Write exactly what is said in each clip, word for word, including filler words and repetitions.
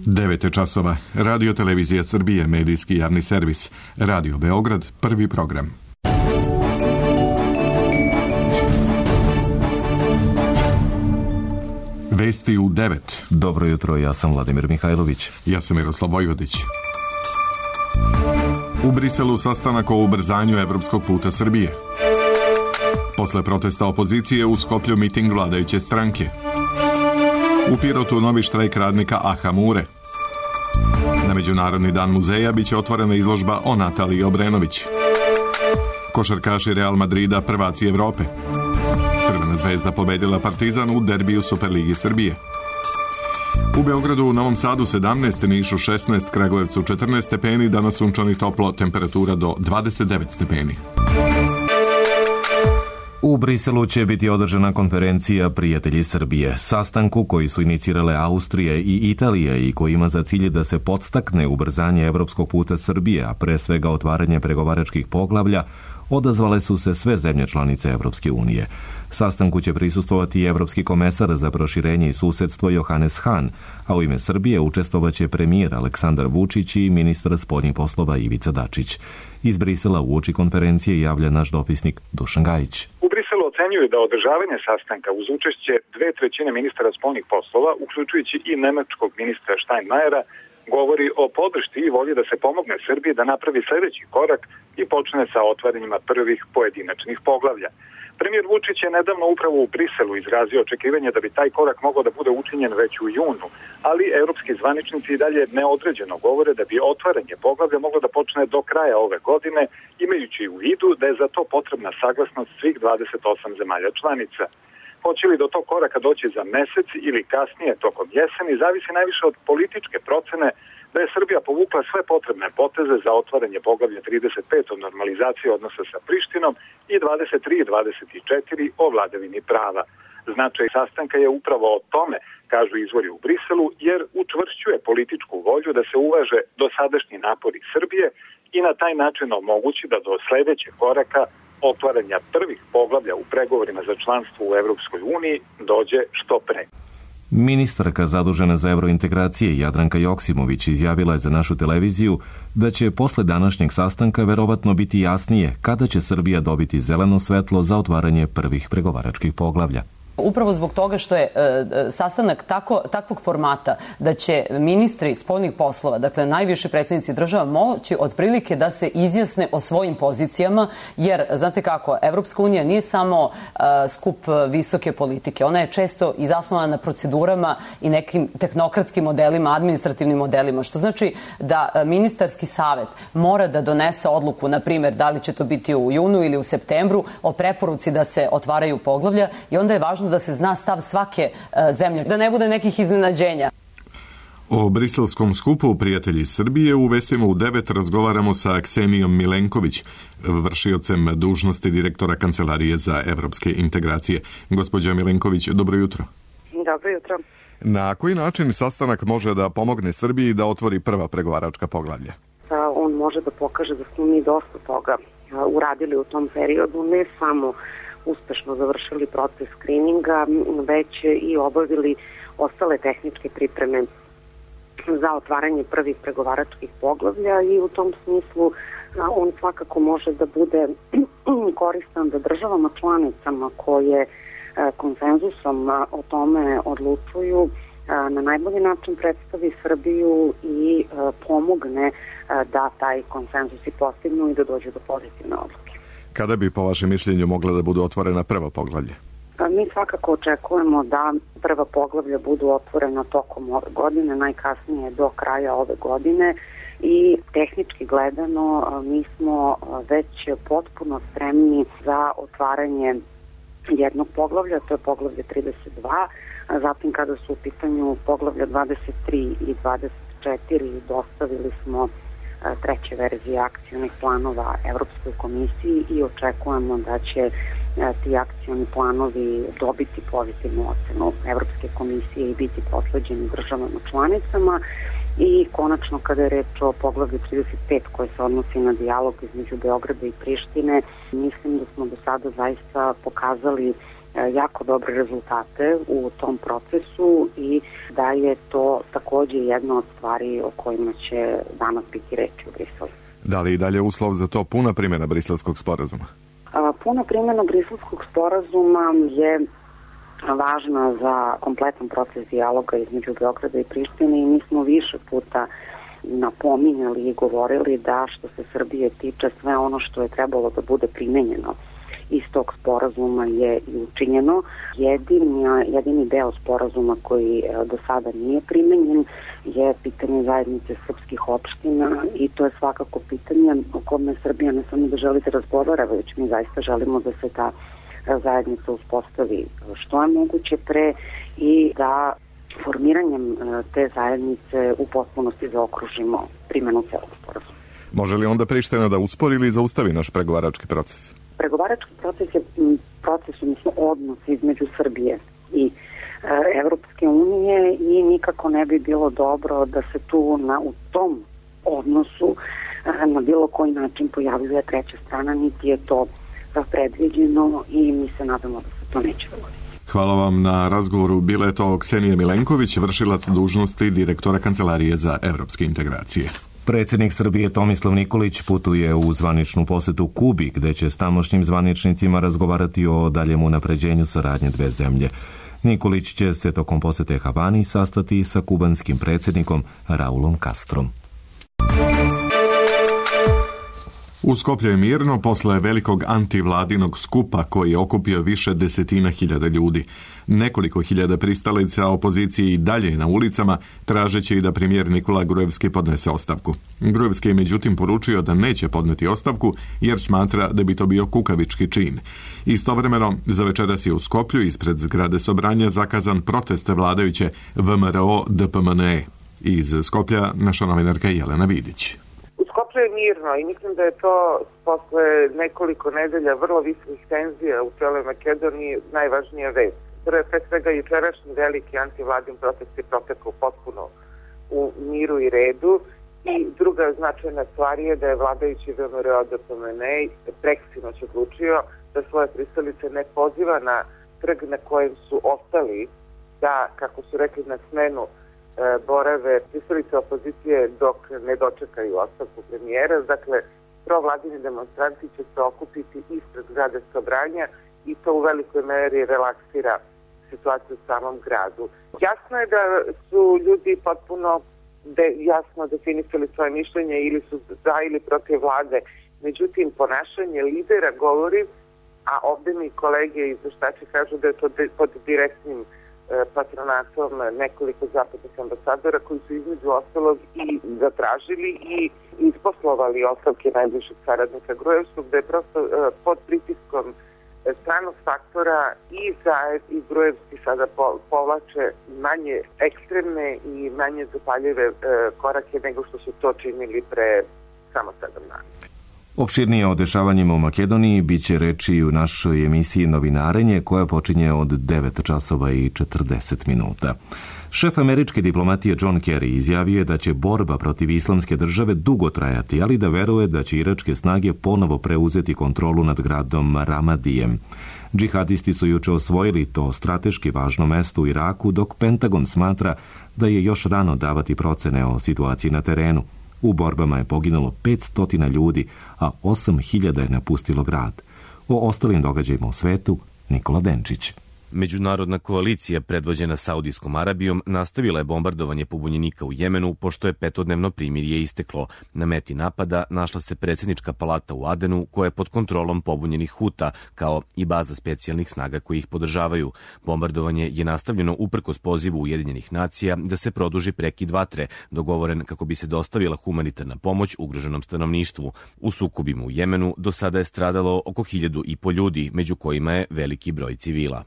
devet časova. Radio Televizija Srbije, medijski javni servis. Radio Beograd, prvi program. Vesti u devet. Dobro jutro, ja sam Vladimir Mihajlović. Ja sam Miroslav Vojvodić. U Briselu sastanak o ubrzanju evropskog puta Srbije. Posle protesta opozicije u Skoplju miting vladajuće stranke. U Pirotu novi štrajk radnika Aha Mure. Na Međunarodni dan muzeja biće otvorena izložba o Nataliji Obrenović. Košarkaši Real Madrida prvaci Evrope. Crvena zvezda pobedila Partizan u derbiju Superligi Srbije. U Beogradu, u Novom Sadu sedamnaest, Nišu šesnaest, Kragujevcu četrnaest stepeni, danas sunčano i toplo, temperatura do dvadeset devet stepeni. U Briselu će biti održana konferencija Prijatelji Srbije, sastanku koji su inicirale Austrija i Italija i koji ima za cilj da se podstakne ubrzanje evropskog puta Srbije, a pre svega otvaranje pregovaračkih poglavlja, odazvale su se sve zemlje članice Evropske unije. Sastanku će prisustvovati i Evropski komesar za proširenje i susedstvo Johannes Hahn, a u ime Srbije učestvovaće premijer Aleksandar Vučić i ministar spoljnih poslova Ivica Dačić. Iz Brisela uoči konferencije javlja naš dopisnik Dušan Gajić. U Briselu ocenjuju da održavanje sastanka uz učešće dve trećine ministara spoljnih poslova, uključujući i nemačkog ministra Steinmeiera, govori o podršci i volji da se pomogne Srbiji da napravi sledeći korak i počne sa otvaranjima prvih pojedinačnih poglavlja. Premijer Vučić je nedavno upravo u Briselu izrazio očekivanje da bi taj korak mogao da bude učinjen već u junu, ali evropski zvaničnici i dalje neodređeno govore da bi otvaranje poglavlja moglo da počne do kraja ove godine, imajući u vidu da je za to potrebna saglasnost svih dvadeset osam zemalja članica. Hoće li do tog koraka doći za mesec ili kasnije tokom jeseni, zavisi najviše od političke procene da je Srbija povukla sve potrebne poteze za otvaranje poglavlja trideset pet o normalizaciji odnosa sa Prištinom i dvadeset tri i dvadeset četiri o vladavini prava. Značaj sastanka je upravo o tome, kažu izvori u Briselu, jer učvršćuje političku volju da se uvaže dosadašnji napori Srbije i na taj način omogući da do sledećeg koraka otvaranja prvih poglavlja u pregovorima za članstvo u Evropskoj uniji dođe što pre. Ministarka zadužena za evrointegracije Jadranka Joksimović izjavila je za našu televiziju da će posle današnjeg sastanka verovatno biti jasnije kada će Srbija dobiti zeleno svetlo za otvaranje prvih pregovaračkih poglavlja. Upravo zbog toga što je e, sastanak tako, takvog formata da će ministri spoljnih poslova, dakle najviši predsjednici država, moći otprilike da se izjasne o svojim pozicijama, jer, znate kako, Evropska unija nije samo e, skup visoke politike, ona je često i zasnovana na procedurama i nekim tehnokratskim modelima, administrativnim modelima, što znači da ministarski savet mora da donese odluku, na primjer, da li će to biti u junu ili u septembru, o preporuci da se otvaraju poglavlja, i onda je važno da se zna stav svake zemlje, da ne bude nekih iznenađenja. O briselskom skupu Prijatelji Srbije u vestima u devet razgovaramo sa Ksenijom Milenković, vršiocem dužnosti direktora Kancelarije za evropske integracije. Gospođa Milenković, dobro jutro. Dobro jutro. Na koji način sastanak može da pomogne Srbiji da otvori prva pregovaračka poglavlja? On može da pokaže da smo mi dosta toga uradili u tom periodu, ne samo uspešno završili proces skrininga, već i obavili ostale tehničke pripreme za otvaranje prvih pregovaračkih poglavlja i u tom smislu on svakako može da bude koristan da državama članicama koje konsenzusom o tome odlučuju na najbolji način predstavi Srbiju i pomogne da taj konsenzus i postignu i da dođe do pozitivne odluke. Kada bi po vašem mišljenju mogla da budu otvorena prva poglavlja? Mi svakako očekujemo da prva poglavlja budu otvorena tokom ove godine, najkasnije do kraja ove godine, i tehnički gledano mi smo već potpuno spremni za otvaranje jednog poglavlja, to je poglavlje trideset dva, a zatim kada su u pitanju poglavlja dvadeset tri i dvadeset četiri dostavili smo treće verzije akcionih planova Evropskoj komisiji i očekujemo da će ti akcioni planovi dobiti pozitivnu ocenu Evropske komisije i biti potvrđeni državama članicama. I konačno, kada je reč o poglavlju trideset pet koje se odnosi na dijalog između Beograda i Prištine, mislim da smo do sada zaista pokazali jako dobre rezultate u tom procesu i da je to takođe jedna od stvari o kojima će danas biti reči u Briselu. Da li i dalje uslov za to puna primjena Briselskog sporazuma? Puna primjena Briselskog sporazuma je važna za kompletan proces dijaloga između Beograda i Prištine i mi smo više puta napominjali i govorili da što se Srbije tiče sve ono što je trebalo da bude primenjeno iz tog sporazuma je i učinjeno. Jedini, jedini deo sporazuma koji do sada nije primenjen je pitanje zajednice srpskih opština i to je svakako pitanje o kome Srbija ne samo da želi da razgovara, već mi zaista želimo da se ta zajednica uspostavi što je moguće pre i da formiranjem te zajednice u potpunosti zaokružimo primjenu celog sporazuma. Može li onda Priština da uspori ili zaustavi naš pregovarački proces? Pregovarački proces je proces, odnosno odnos između Srbije i e, Evropske unije i nikako ne bi bilo dobro da se tu na, u tom odnosu e, na bilo koji način pojavljuje treća strana, niti je to predviđeno i mi se nadamo da se to neće dogoditi. Hvala vam na razgovoru. Bila je to Ksenija Milenković, vršilac dužnosti direktora Kancelarije za evropske integracije. Predsjednik Srbije Tomislav Nikolić putuje u zvaničnu posetu Kubi, gde će s tamošnjim zvaničnicima razgovarati o daljem unapređenju saradnje dve zemlje. Nikolić će se tokom posete Havani sastati sa kubanskim predsjednikom Raulom Castrom. U Skoplju je mirno posle velikog antivladinog skupa koji je okupio više desetina hiljada ljudi. Nekoliko hiljada pristalica opozicije i dalje na ulicama, tražeći da premijer Nikola Grujevski podnese ostavku. Grujevski je međutim poručio da neće podneti ostavku jer smatra da bi to bio kukavički čin. Istovremeno, za večeras je u Skoplju ispred zgrade Sobranja zakazan protest vladajuće V M R O D P M N E. Iz Skoplja naša novinarka Jelena Vidić. Skoplje je mirno i mislim da je to posle nekoliko nedelja vrlo visokih tenzija u celoj Makedoniji najvažnija vest. Pre svega jučerašnji veliki antivladin protest je protekao potpuno u miru i redu i druga značajna stvar je da je vladajući V M R O D P M N E preksinoć odlučio da svoje pristalice ne poziva na trg na kojem su ostali da, kako su rekli, na smenu borave pristalice opozicije dok ne dočekaju ostavku premijera. Dakle, provladini demonstranti će se okupiti ispred zgrade Sobranja i to u velikoj meri relaksira situaciju u samom gradu. Jasno je da su ljudi potpuno de, jasno definisali svoje mišljenje ili su za ili protiv vlade. Međutim, ponašanje lidera govori, a ovdje mi kolege izveštači kažu da je to de, pod direktnim patronatom nekoliko zapadnih ambasadora koji su između ostalog i zatražili i isposlovali ostavke najbližeg saradnika Grujevskog, da je prosto pod pritiskom stranog faktora i Zaev i Grujevski sada povlače manje ekstremne i manje zapaljive korake nego što su to činili pre samo sedam dana. Opširnije o dešavanjima u Makedoniji bit će reči u našoj emisiji Novinarenje koja počinje od devet časova i četrdeset minuta. Šef američke diplomatije John Kerry izjavio je da će borba protiv islamske države dugo trajati, ali da veruje da će iračke snage ponovo preuzeti kontrolu nad gradom Ramadijem. Džihadisti su juče osvojili to strateški važno mesto u Iraku, dok Pentagon smatra da je još rano davati procene o situaciji na terenu. U borbama je poginulo petsto ljudi, a osam hiljada je napustilo grad. O ostalim događajima u svetu, Nikola Denčić. Međunarodna koalicija predvođena Saudijskom Arabijom nastavila je bombardovanje pobunjenika u Jemenu pošto je petodnevno primirje isteklo. Na meti napada našla se predsjednička palata u Adenu koja je pod kontrolom pobunjenih Huta kao i baza specijalnih snaga koji ih podržavaju. Bombardovanje je nastavljeno uprkos pozivu Ujedinjenih nacija da se produži prekid vatre, dogovoren kako bi se dostavila humanitarna pomoć ugroženom stanovništvu. U sukobima u Jemenu do sada je stradalo oko hiljadu i po ljudi, među kojima je veliki broj civila.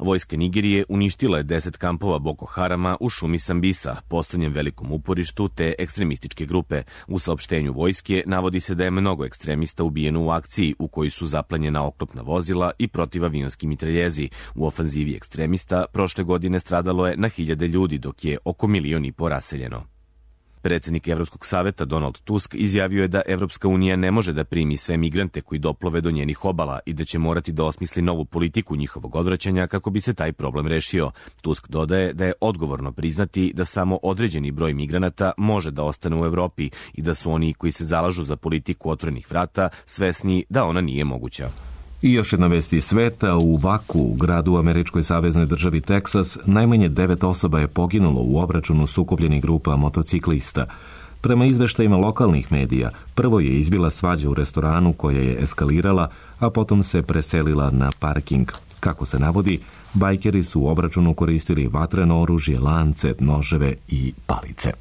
Vojska Nigerije uništila je deset kampova Boko Harama u šumi Sambisa, poslednjem velikom uporištu te ekstremističke grupe. U saopštenju vojske navodi se da je mnogo ekstremista ubijeno u akciji u kojoj su zaplanjena oklopna vozila i protivavionski mitraljezi. U ofanzivi ekstremista prošle godine stradalo je na hiljade ljudi, dok je oko milion i po raseljeno. Predsednik Evropskog saveta Donald Tusk izjavio je da Evropska unija ne može da primi sve migrante koji doplove do njenih obala i da će morati da osmisli novu politiku njihovog odvraćanja kako bi se taj problem rešio. Tusk dodaje da je odgovorno priznati da samo određeni broj migranata može da ostane u Evropi i da su oni koji se zalažu za politiku otvorenih vrata svesni da ona nije moguća. I još jedna vest iz sveta. U Vaku, gradu u američkoj saveznoj državi Teksas, najmanje devet osoba je poginulo u obračunu sukobljenih grupa motociklista. Prema izveštajima lokalnih medija, prvo je izbila svađa u restoranu koja je eskalirala, a potom se preselila na parking. Kako se navodi, bajkeri su u obračunu koristili vatreno oružje, lance, noževe i palice.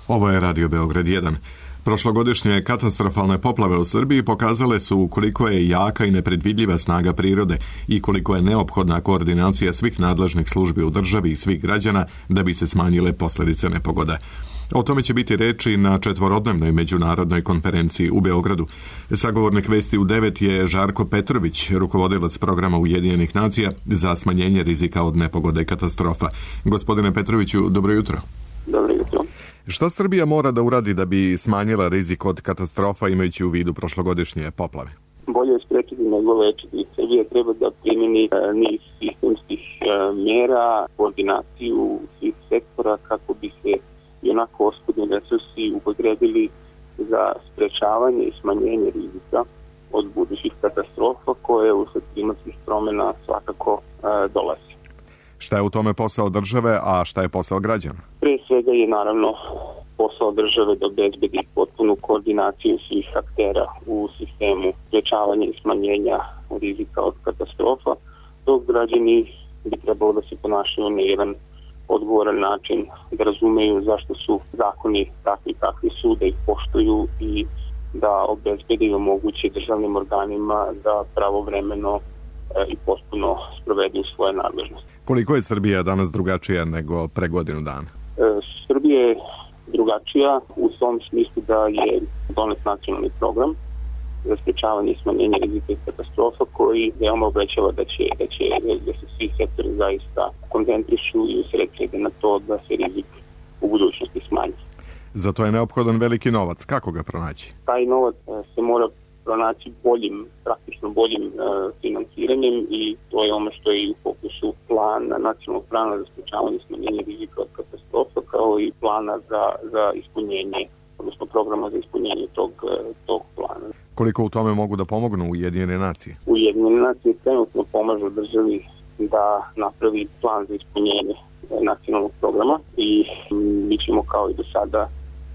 Ovo je Radio Beograd jedan. Prošlogodišnje katastrofalne poplave u Srbiji pokazale su koliko je jaka i nepredvidljiva snaga prirode i koliko je neophodna koordinacija svih nadležnih službi u državi i svih građana da bi se smanjile posljedice nepogoda. O tome će biti reči na četvorodnevnoj međunarodnoj konferenciji u Beogradu. Sagovornik Vesti u devet je Žarko Petrović, rukovodilac programa Ujedinjenih nacija za smanjenje rizika od nepogode i katastrofa. Gospodine Petroviću, dobro jutro. Dobro jutro. Šta Srbija mora da uradi da bi smanjila rizik od katastrofa imajući u vidu prošlogodišnje poplave? Bolje je sprečiti nego lečiti. Srbija treba da primjeni e, niz sistemskih e, mjera, koordinaciju svih sektora kako bi se i onako oskudni resursi upotrebili za sprečavanje i smanjenje rizika od budućih katastrofa koje usled klimatskih promjena svakako e, dolazi. Šta je u tome posao države, a šta je posao građana? Pre svega je naravno posao države da obezbedi potpunu koordinaciju svih aktera u sistemu sprečavanja i smanjenja rizika od katastrofa, dok građani bi trebalo da se ponašaju na jedan odgovoran način, da razumeju zašto su zakoni takvi kakvi su, da ih poštuju i da obezbede i omoguće državnim organima da pravovremeno i potpuno sprovedu svoje nadležnosti. Koliko je Srbija danas drugačija nego pre godinu dana? E, Srbija je drugačija u tom smislu da je donet nacionalni program za sprečavanje i smanjenje rizika i katastrofa koji veoma obećava da će, da će da se svi sektori zaista koncentrišu i usredsrede na to da se rizik u budućnosti smanji. Za to je neophodan veliki novac. Kako ga pronaći? Taj novac se mora pronaći boljim, praktično boljim e, financiranjem i to je ono što je i u fokusu plana, nacionalnog plana za sprečavanje i smanjenje rizika od katastrofa, kao i plana za, za ispunjenje, odnosno programa za ispunjenje tog, tog plana. Koliko u tome mogu da pomognu Ujedinjene nacije? Ujedinjene nacije trenutno pomažu državi da napravi plan za ispunjenje nacionalnog programa i mi ćemo kao i do sada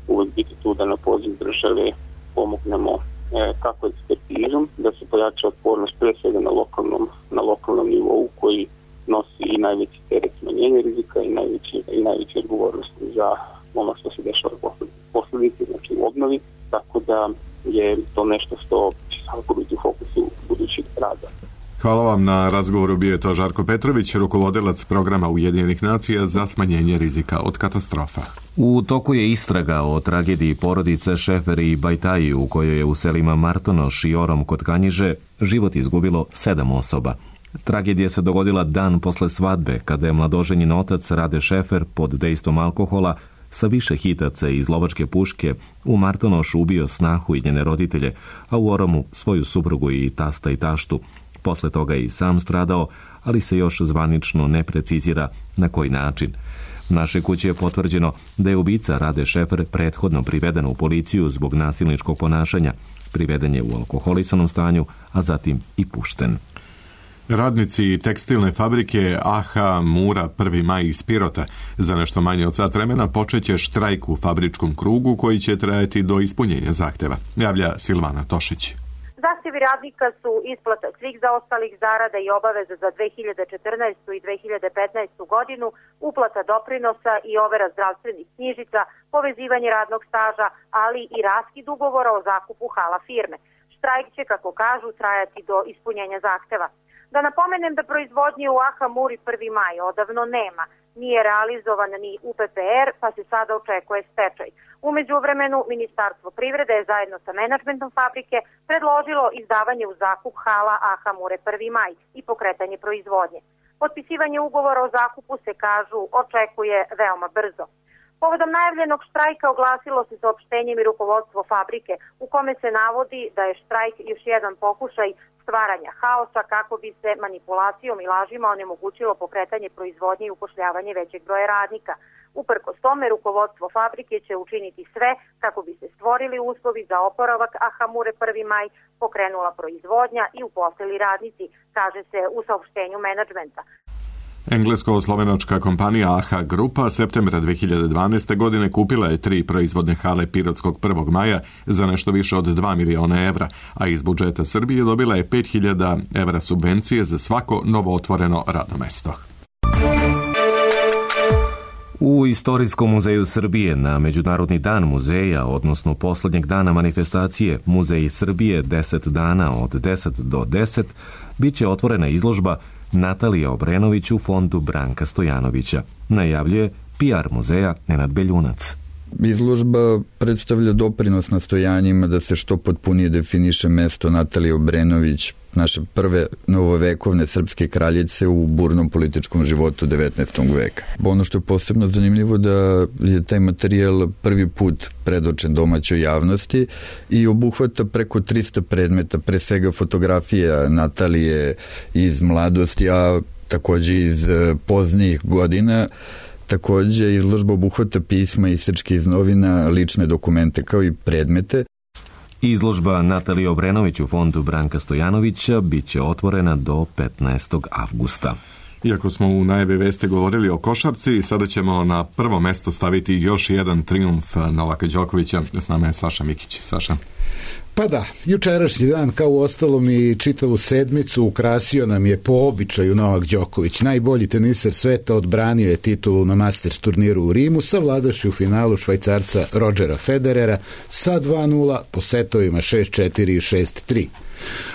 uvek biti tu da na poziv države pomognemo kako ekspertizom, da se pojača otpornost pre svega na lokalnom, na lokalnom nivou koji nosi i najveći teret smanjenja rizika i najveći, i najveći odgovornosti za ono što se dešava posledice, znači u obnovi, tako da je to nešto što će svakako biti u fokusu budućih rada. Hvala vam na razgovoru. Bio je to Žarko Petrović, rukovodilac programa Ujedinjenih nacija za smanjenje rizika od katastrofa. U toku je istraga o tragediji porodice Šeferi i Bajtaji u kojoj je u selima Martonoš i Orom kod Kanjiže život izgubilo sedam osoba. Tragedija se dogodila dan posle svadbe, kada je mladoženjen otac Rade Šefer pod dejstvom alkohola sa više hitaca iz lovačke puške u Martonošu ubio snahu i njene roditelje, a u Oromu svoju suprugu i tasta i taštu. Posle toga je i sam stradao, ali se još zvanično ne precizira na koji način. Naše kuće je potvrđeno da je ubica Rade Šefer prethodno priveden u policiju zbog nasilničkog ponašanja. Priveden je u alkoholisanom stanju, a zatim i pušten. Radnici tekstilne fabrike A H Mura prvi maj iz Pirota za nešto manje od sat vremena počeće štrajk u fabričkom krugu koji će trajati do ispunjenja zahteva, javlja Silvana Tošić. Zahtjevi radnika su isplata svih zaostalih zarada i obaveza za dve hiljade četrnaestu. i dve hiljade petnaestu. godinu, uplata doprinosa i overa zdravstvenih knjižica, povezivanje radnog staža, ali i raskid ugovora o zakupu hala firme. Štrajk će, kako kažu, trajati do ispunjenja zahteva. Da napomenem da proizvodnje u A H Muri prvi maj odavno nema. Nije realizovan ni U P P R, pa se sada očekuje stečaj. U međuvremenu, Ministarstvo privrede je zajedno sa menadžmentom fabrike predložilo izdavanje u zakup hala A H Mure prvi maj i pokretanje proizvodnje. Potpisivanje ugovora o zakupu se, kažu, očekuje veoma brzo. Povodom najavljenog štrajka oglasilo se saopštenjem i rukovodstvo fabrike u kome se navodi da je štrajk još jedan pokušaj stvaranja haosa kako bi se manipulacijom i lažima onemogućilo pokretanje proizvodnje i upošljavanje većeg broja radnika. Uprkos tome, rukovodstvo fabrike će učiniti sve kako bi se stvorili uslovi za oporavak, a Hamure prvi maj pokrenula proizvodnja i uposlili radnici, kaže se u saopštenju menadžmenta. Englesko-slovenačka kompanija A H A Grupa septembra dve hiljade dvanaeste. godine kupila je tri proizvodne hale Pirotskog prvog maja za nešto više od dva miliona evra, a iz budžeta Srbije dobila je pet hiljada evra subvencije za svako novootvoreno radno mesto. U Istorijskom muzeju Srbije na Međunarodni dan muzeja, odnosno poslednjeg dana manifestacije Muzeji Srbije deset dana od deset do deset, bit će otvorena izložba Natalija Obrenović u fondu Branka Stojanovića, najavljuje P R muzeja Nenad Beljunac. Izložba predstavlja doprinos nastojanjima da se što potpunije definiše mesto Natalije Obrenović, naše prve novovekovne srpske kraljice u burnom političkom životu devetnaestog veka. Ono što je posebno zanimljivo da je taj materijal prvi put predočen domaćoj javnosti i obuhvata preko trista predmeta, pre svega fotografija Natalije iz mladosti, a takođe iz poznijih godina. Takođe, izložba obuhvata pisma, isečke iz novina, lične dokumente kao i predmete. Izložba Natalije Obrenović u fondu Branka Stojanovića bit će otvorena do petnaestog avgusta. Iako smo u najavi veste govorili o košarci, sada ćemo na prvo mesto staviti još jedan trijumf Novaka Đokovića. S nama je Saša Mikić. Saša. Pa da, jučerašnji dan, kao u ostalom i čitavu sedmicu, ukrasio nam je po običaju Novak Đoković. Najbolji teniser sveta, odbranio je titulu na Masters turniru u Rimu, savladavši u finalu Švajcarca Rodgera Federera sa dva nula po setovima šest četiri i šest tri.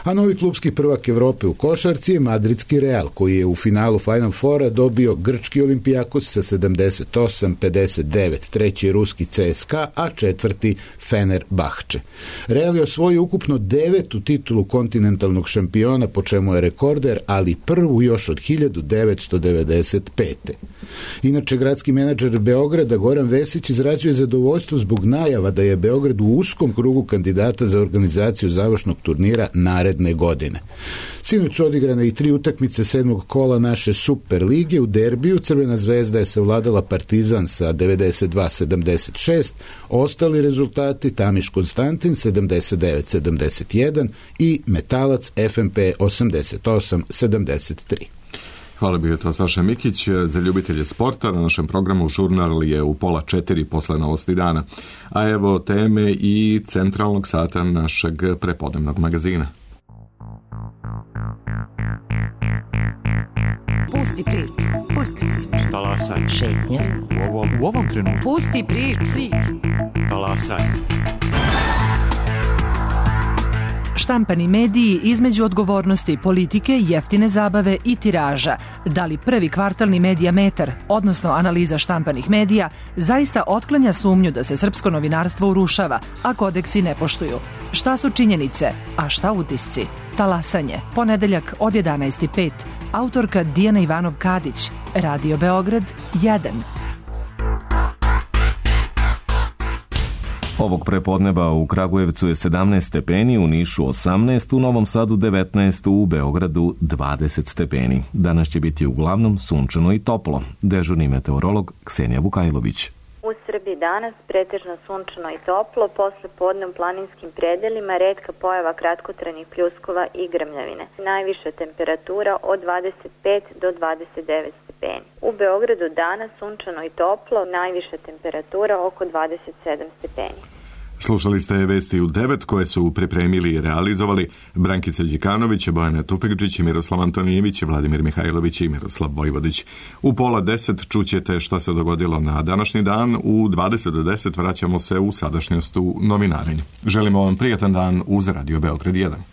A novi klubski prvak Evrope u košarci je madridski Real, koji je u finalu Final Fora dobio grčki Olimpijakos sa sedamdeset osam pedeset devet, treći je ruski C S K A, a četvrti Fenerbahče. Real je osvojio ukupno devetu titulu kontinentalnog šampiona, po čemu je rekorder, ali prvu još od hiljadu devetsto devedeset pete. Inače, gradski menadžer Beograda Goran Vesić izrazio zadovoljstvo zbog najava da je Beograd u uskom krugu kandidata za organizaciju završnog turnira naredne godine. Sinoć su odigrane i tri utakmice sedmog kola naše Super lige. U derbiju Crvena zvezda je savladala Partizan sa devedeset dva sedamdeset šest, ostali rezultati Tamiš Konstantin sedamdeset devet sedamdeset jedan i Metalac F M P osamdeset osam sedamdeset tri. Hvala, bio je to Saša Mikić. Za ljubitelje sporta na našem programu žurnal je u pola četiri posle novosti dana. A evo teme i centralnog sata našeg prepodnevnog magazina. Pusti priču, pusti priču. Talasaj. Šetnja. U ovom, u ovom trenutku. Pusti priču, priču. Talasaj. Štampani mediji između odgovornosti politike, jeftine zabave i tiraža. Da li prvi kvartalni Medijametar, odnosno analiza štampanih medija, zaista otklanja sumnju da se srpsko novinarstvo urušava, a kodeksi ne poštuju? Šta su činjenice, a šta utisci? Talasanje, ponedeljak od jedanaest i pet. Autorka Dijana Ivanov-Kadić, Radio Beograd jedan. Ovog prepodneba u Kragujevcu je sedamnaest stepeni, u Nišu osamnaest, u Novom Sadu devetnaest, u Beogradu dvadeset stepeni. Danas će biti uglavnom sunčano i toplo. Dežurni meteorolog Ksenija Vukajlović. U Srbiji danas pretežno sunčano i toplo, posle podne u planinskim predelima retka pojava kratkotrajnih pljuskova i grmljavine. Najviša temperatura od dvadeset pet do dvadeset devet stepeni. U Beogradu danas sunčano i toplo, najviša temperatura oko dvadeset sedam stepeni. Slušali ste vesti u devet koje su pripremili i realizovali Brankica Đikanović, Bojana Tufekđić, Miroslav Antonijević, Vladimir Mihajlović i Miroslav Vojvodić. U pola deset čućete šta se dogodilo na današnji dan. U dvadeset do deset vraćamo se u sadašnjost u novinarenju. Želimo vam prijatan dan uz Radio Beograd jedan.